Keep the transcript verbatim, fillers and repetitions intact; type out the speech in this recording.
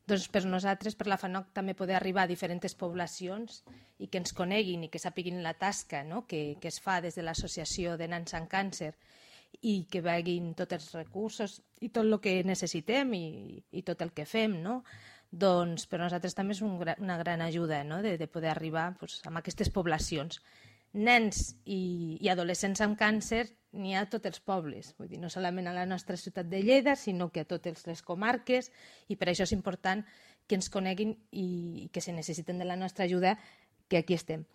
Doncs per nosaltres, per la FANOC, també poder arribar a diferents poblacions i que ens coneguin i que sàpiguin la tasca, no? que, que es fa des de l'Associació de Nans amb Càncer i que veguin tots els recursos i tot el que necessitem i, i tot el que fem, no? Doncs per nosaltres també és un, una gran ajuda, no? de, de poder arribar pues, a aquestes poblacions. Nens i, i adolescents amb càncer n'hi ha a tots els pobles, vull dir, no solament a la nostra ciutat de Lleida, sinó que a totes les comarques, i per això és important que ens coneguin i, i que se necessiten de la nostra ajuda, que aquí estem.